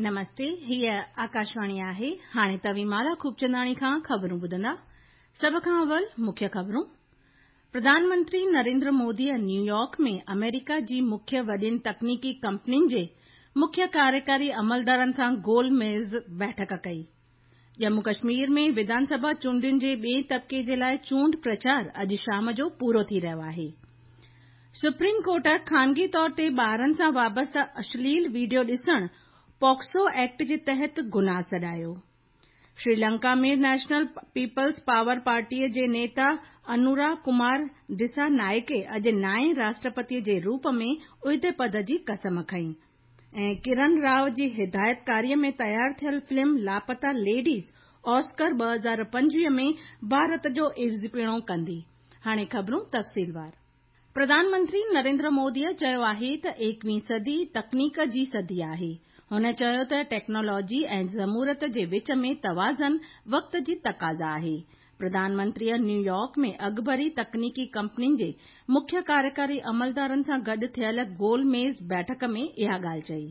نمستي، هيء آڪاشواڻي آهي. هاڻي توهين مالا خوبچنداڻي کان خبرون ٻڌندا. سڀ کان اول مکيه خبرون. پرڌان منتري نريندر موديء نيويارڪ ۾ آمريڪا جي مکيه وڏين تڪنيڪي ڪمپنين جي مکيه ڪاريڪاري عملدارن سان گول ميز بيٺڪ ڪئي. ڄمون ڪشمير ۾ وڌان سڀا چونڊن جي ٻئين طبقي جي لاء چونڊ پرچار اڄ شام جو پورو ٿي رهيو آهي. سپريم ڪورٽ خانگي طور تي ٻارن سان وابسته اشليل وڊيو ڏسڻ پوڪسو ايڪٽ جي تحت گناهه سڏايو. سريلنڪا ۾ نيشنل پيپلز پاور پارٽيء جي نيتا انورا ڪمار دسا نائڪي اڄ نائين راشٽرپتيء جي روپ ۾ عهدي پد جي قسم کنئي ۽ ڪرن رائو جي هدايتڪاريء ۾ تيار ٿيل فلم لاپتا ليڊيز آسڪر 2025 ۾ ڀارت جو عيوضپڻو ڪندي. هاڻي خبرون تفصيلوار. پرڌان منتري نريندر موديء چيو آهي ته ايڪويهين صدي تڪنيڪ جي صدي آهي. هن چيو ته ٽيڪنالاجي ۽ جمهوريت جي وچ ۾ توازن وقت جي تقاضا آهي. پرڌان منتريء نيويارڪ ۾ اڳڀري تڪنيڪي ڪمپنين جي مکيه ڪاريڪاري عملدارن سان گڏ ٿيل گول ميز بيٺڪ ۾ اها ڳالهه چئي.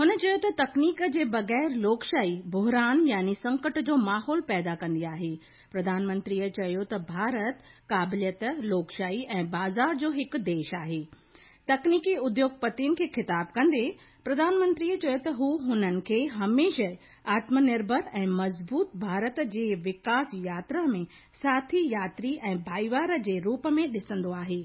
هن چيو ته تڪنيڪ جي بغير لوڪشاهي بحران يعني سنڪٽ جو ماحول پيدا ڪندي آهي. پرڌان منتريء چيو ته ڀارت قابليت، لوڪشاهي ۽ بازار جو هڪ ديش آهي. تڪنيڪي اديوگپتين کي خطاب ڪندي پرڌان منتريء چيو ته هو هنن کي هميشه آتم نرڀر ۽ مضبوط ڀارت جي وڪاس ياترا ۾ ساٿي ياتري ۽ ڀائيوار جي روپ ۾ ڏسندو آهي.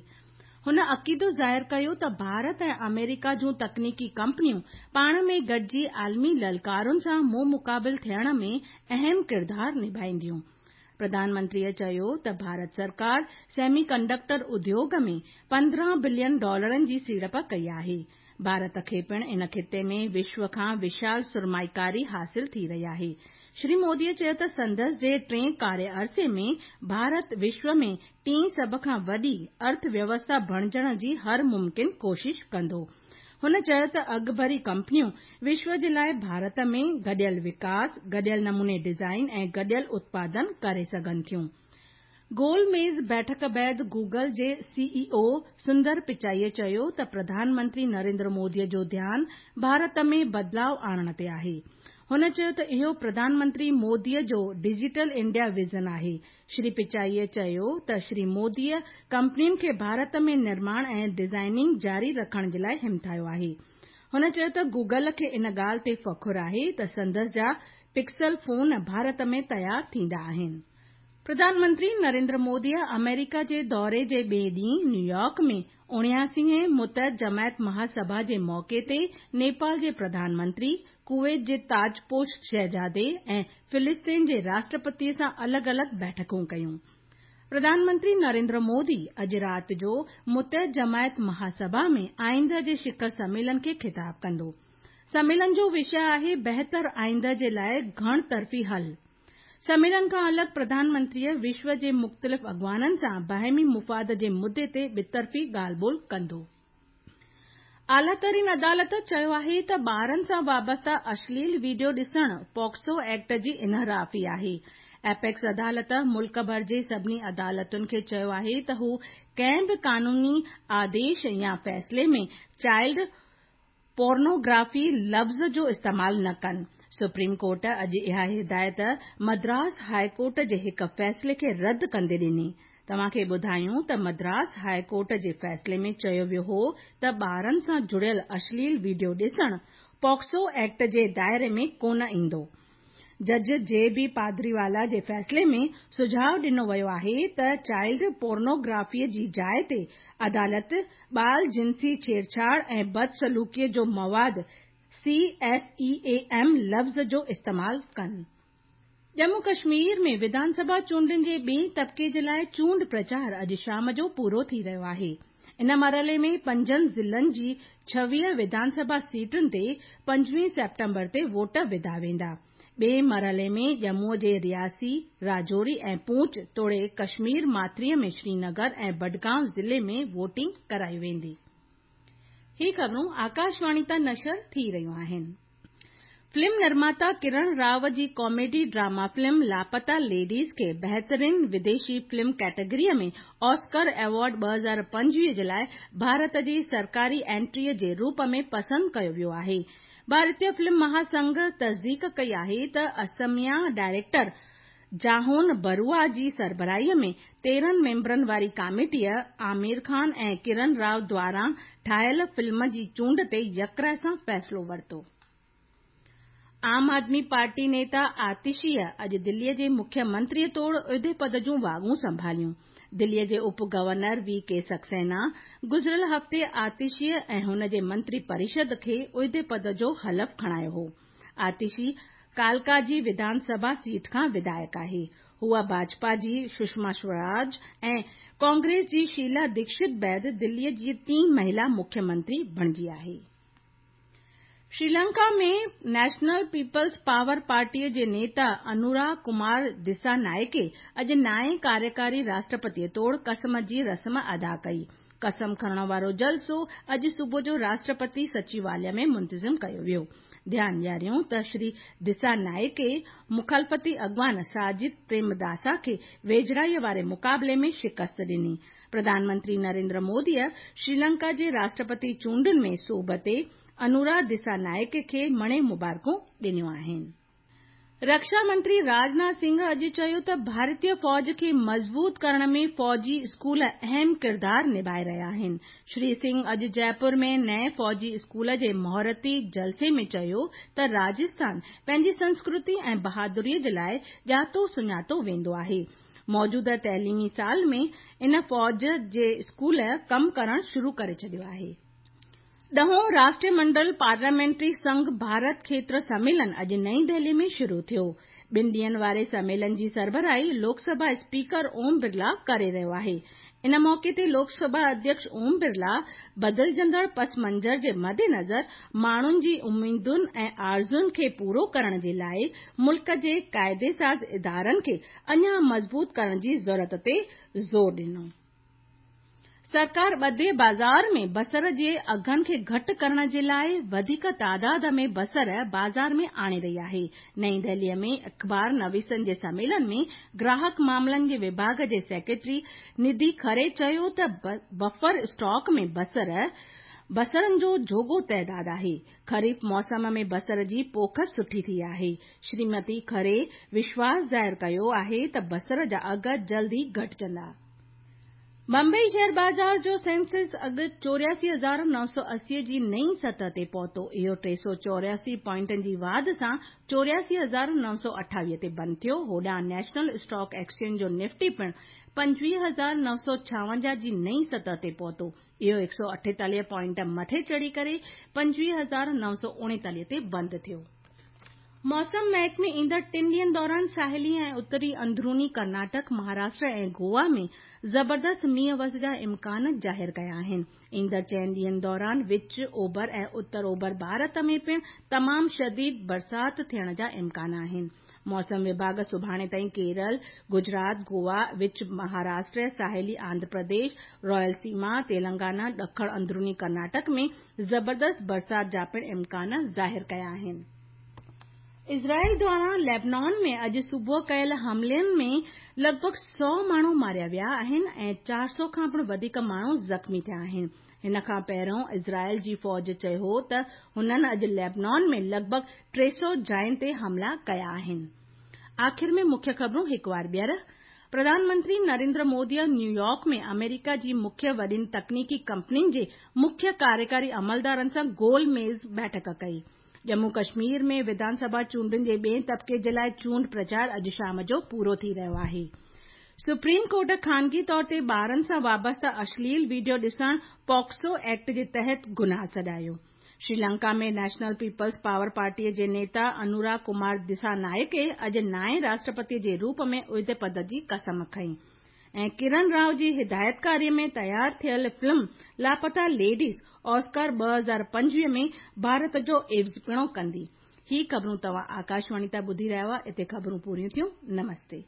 هن عقيدو ظاهر ڪيو ته ڀارت ۽ آمريڪا جون تڪنيڪي ڪمپنيون پاڻ ۾ گڏجي عالمي للڪارن سان منهن مقابل ٿيڻ ۾ اهم ڪردار نڀائينديون. پرڌان منتريء چيو ته ڀارت سرڪار سيمي ڪنڊڪٽر اديوگ ۾ 15 بلين ڊالرن جي سيڙپ ڪئي آهي. ڀارت کي پڻ ان خطي ۾ وشو کان وشال سرمائيڪاري حاصل ٿي رهي آهي. شري موديء چيو ته سندس جي ٽئين ڪاري عرصي ۾ ڀارت وشو ۾ ٽين سڀ کان وڏي ارٿ ويوسٿا بڻجڻ جي هر ممڪن ڪوشش ڪندو. هن چيو ته اڳڀري ڪمپنيون وشو جي لاء ڀارت ۾ گڏيل وڪاس، گڏيل نموني ڊزائين ۽ گڏيل اتپادن ڪري سگهن ٿيون. گول ميز بيٺڪ بعد گوگل جي سي اي او سندر پچائيء چيو ته پرڌان منتري نريندر موديء جو ڌيان ڀارت ۾ بدلاء آڻڻ تي آهي. هن چيو ته اهو پرڌان منتري موديء جو ڊجيٽل انڊيا ويزن آهي. شري پچائيء چيو ته شري موديء ڪمپنين کي ڀارت ۾ نرماڻ ۽ ڊزائننگ جاري رکڻ جي لاء همٿايو آهي. هن چيو ته گوگل کي ان ڳالهه تي فخر آهي ته سندس جا پڪسل فون ڀارت ۾ تيار ٿيندا آهن. پرڌان منتري نريندر موديء آمريڪا جي دوري جي ٻئي ڏينهن نيويارڪ ۾ 79هين متحد جماعت مهاسڀا جي موقعي تي نيپال جي پرڌان منتري، ڪويت جي تاجپوش شهزادي ۽ فلسطين جي راشٽرپتيء سان الڳ الڳ بيٺڪون ڪيون. پرڌان منتري نريندر مودي اڄ رات جو متحد جماعت مهاسڀا ۾ آئنده جي شکر سميلن کي خطاب ڪندو. سميلن جو وشيه آهي بهتر آئنده جي لاء گهڻ طرفي حل. سميلن کان الڳ پرڌان منتريء وشو جي مختلف اڳواڻن سان باهمي مفاد جي مدي تي ٻطرفي ڳالهه ٻولهه ڪندو. اعليٰ ترين عدالت چيو آهي ته ٻارن سان وابسته اشليل وڊيو ڏسڻ پوڪسو ايڪٽ جي انحرافي آهي. ايپڪس عدالت ملڪ ڀر جي سڀني عدالتن کي چيو آهي ته هو ڪنهن به قانوني آديش يا فيصلي ۾ چائلڊ پورنوگرافي لفظ جو استعمال نه ڪن. سپريم ڪورٽ اڄ اها هدايت مدراس هاء ڪورٽ جي هڪ فيصلي کي رد ڪندي ڏني. توهان کي ٻڌايون ته مدراس هاء ڪورٽ جي فيصلي ۾ چيو ويو هو ته ٻارن سان جڙيل اشليل وڊيو ڏسڻ پوڪسو ايڪٽ جي دائري ۾ ڪونه ايندو. جج جي بي پادريوالا جي فيصلي ۾ سجهاء ڏنو ويو آهي ته چائلڊ پورنوگرافي جي جاء تي عدالت ٻال جنسي ڇيڙڇاڙ ۽ بدسلوڪي جو مواد سي ايس اي اي ايم لفظ جو استعمال ڪن. ڄمون ڪشمير ۾ وڌان سڀا چونڊن جي ٻئين طبقي جي لاء چونڊ پرچار اڄ شام جو پورو ٿي رهيو آهي. ان مرحلي ۾ پنجن ضلعن جي 26 وڌان سڀا سيٽن تي 25 سيپٽمبر تي ووٽ وڌا ويندا. ٻئي مرحلي ۾ ڄمون جي رياسي، راجوري ۽ پونچ توڙي ڪشمير ماٿري ۾ شرينگر ۽ بڊگام ضلعي ۾ ووٽنگ ڪرائي ويندي. هي خبرون آڪاشواڻي تان نشر ٿي رهيون آهن. فلم نرماتا ڪرڻ رائو جي ڪاميڊي ڊراما فلم لاپتا ليڊيز کي بهترين وديشي فلم ڪيٽيگريء ۾ آسڪر ايوارڊ 2025 جي لاء ڀارت جي سرڪاري انٽريء جي روپ ۾ پسند ڪيو ويو آهي. ڀارتيه فلم مهاسنگهه تصديق ڪئي آهي ته اسميا ڊائريڪٽر جاهون بروا جي سربراهيء ۾ 13 ميمبرن واري ڪاميٽيء عامر خان ۽ ڪرن رائو دواران ٺاهيل فلم جي چونڊ تي يڪراء سان فيصلو ورتو. عام آدمي پارٽي نيتا آتشيء اڄ دليء جي مکيه منتريء طور عهدي پد جون واڳون سنڀاليون. دليء جي اپ گورنر وي ڪي سڪسينا گذريل هفتي آتشيء ۽ هن جي منتري پريشد کي عهدي پد جو حلف کڻايو هو. آتشي ڪالڪا جي وڌان سڀا سيٽ کان وڌايڪ آهي. هوء ڀاجپا جي سشما سوراج ۽ ڪانگريس جي شيلا ديڪشت بعد دليء جي ٽين مهلا مکيه منتري بڻجي آهي. سريلنڪا ۾ نيشنل پيپلز پاور پارٽيء جي نيتا انورا ڪمار دسانائڪي اڄ نائين ڪاريڪاري راشٽرپتيء طور قسم جي رسم ادا ڪئي. قسم کڻڻ وارو جلسو اڄ صبح جو راشٽرپتي سچيواليه ۾ منتظم ڪيو ويو. ڌيان ڏياريون ته شري دسانائڪي مخالفتي اڳواڻ ساجد پريمداسا کي ويجهڙائيء واري مقابلي ۾ شڪست ڏني. پرڌان منتري نريندر موديء سريلنڪا جي راشٽرپتي چونڊن ۾ سوڀ تي انورا دسانائڪي کي مڻي مبارڪون ڏنيون آهن. رڪشا منتري راجناٿ سنگهه اڄ چيو ته ڀارتيه فوج کي مضبوط ڪرڻ ۾ فوجي اسڪول اهم ڪردار نڀائي رهيا آهن. شري سنگهه اڄ جئپور ۾ نئين فوجي اسڪول جي مهورتي جلسي ۾ چيو ته راجسٿان پنهنجي سنسڪرتي ۽ بهادريء جي لاء ڄاتو سڃاتو ويندو آهي. موجوده تعليمي سال ۾ ان فوج جي اسڪول ڪم ڪرڻ شروع ڪري ڇڏيو آهي. ڏهون راشٽريه منڊل پارليامينٽري سنگهه ڀارت کيتر سميلن اڄ نئين دهلي ۾ شروع ٿيو. ٻن ڏينهن واري سميلن جي سربراهي لوڪ سڀا اسپيڪر اوم برلا ڪري رهيو آهي. ان موقعي تي لوڪ سڀا اڌيڪش اوم برلا بدلجندڙ پس منظر جي مدنظر ماڻهن جي اميدن ۽ آرزوئن کي پورو ڪرڻ جي لاء ملڪ جي قاعدي ساز ادارن کي اڃا مضبوط ڪرڻ جي ضرورت تي زور ڏنو. سرڪار ٻڌي بازار ۾ بصر جي اگهن کي گهٽ ڪرڻ جي لاء وڌيڪ تعداد ۾ بصر بازار ۾ آڻي رهي آهي. نئين دهليء ۾ اخبار نويسن جي سميلن ۾ گراهڪ معاملن جي وڀاڳ جي سيڪريٽري نڌي کري چيو ته بفر اسٽاڪ ۾ بصر بصرن جو جوڳو تعداد آهي. خريف موسم ۾ بصر جي پوک سٺي ٿي آهي. شريمتي کري وشواس ظاهر ڪيو آهي ته بصر جا اگهه جلد ئي گهٽجندا. بمبئي شيئر بازار جو سينسيڪس اڄ 84,980 جي نئين سطح تي پهتو. اهو 384 پوائنٽن جي واڌ سان 84,928 تي بند ٿيو. هوڏانهن نيشنل اسٽاڪ ايڪسچينج جو نفٽي پڻ 25,956 جي نئين سطح تي پهتو. اهو 148 پوائنٽ مٿي چڙهي ڪري 25,939 تي بند ٿيو. موسم محڪمي ايندڙ ٽن ڏينهن دوران ساحلي ۽ اتري اندروني ڪرناٽڪ، مهاراشٽر ۽ گوا ۾ زبردست مينهن وس جا امڪان ظاهر ڪيا آهن. ايندڙ چئن ڏينهن دوران وچ اوڀر ۽ اتر اوڀر ڀارت ۾ پڻ تمام شديد برسات ٿيڻ جا امڪان آهن. موسم وڀاڳ سڀاڻي تائين ڪيرل، گجرات، گوا، وچ مهاراشٽر، ساحلي آنڌرا پرديش، رائل سيما، تيلنگانا، ڏکڻ اندروني ڪرناٽڪ ۾ زبردست برسات جا پڻ امڪان ظاهر ڪيا آهن. اسرائيل دواران ليبنان ۾ اڄ صبح ڪيل حملن ۾ لڳ ڀڳ 100 ماڻهو ماريا ويا آهن ۽ 400 کان پڻ وڌيڪ ماڻهو زخمي ٿيا آهن. هن کان پهريون اسرائيل جي فوج چيو هو ته هنن اڄ ليبنان ۾ لڳ ڀڳ 300 جاين تي حملا ڪيا آهن. آخر ۾ مکيه خبرون هڪ وار ٻيهر. پرڌان منتري نريندر موديء نيويارڪ ۾ آمريڪا جي مکيه وڏين تڪنيڪي ڪمپنين جي مکيه ڪاريڪاري عملدارن سان گول ميز بيٺڪ ڪئي. ڄمون ڪشمير ۾ وڌان سڀا چونڊن جي ٻئين طبقي جي لاء چونڊ پرچار اڄ شام جو پورو ٿي رهيو آهي. سپريم ڪورٽ خانگي طور تي ٻارن سان وابسته اشليل وڊيو ڏسڻ پوڪسو ايڪٽ جي تحت گناهه سڏايو. سريلنڪا ۾ نيشنل پيپلز پاور پارٽيء جي نيتا انورا ڪمار دسانائڪي اڄ نائين راشٽرپتي جي روپ ۾ عهدي پد جي قسم کنئي. ۽ ڪرن رائو جي هدايتڪاريء ۾ تيار ٿيل فلم لاپتا ليڊيز آسڪار 2025 ۾ ڀارت جو عيوضپڻو ڪندي. هي خبرون توهان آڪاشواڻي تان ٻڌي رهيا هئا. اتي خبرون پوريون ٿيون. نمستي.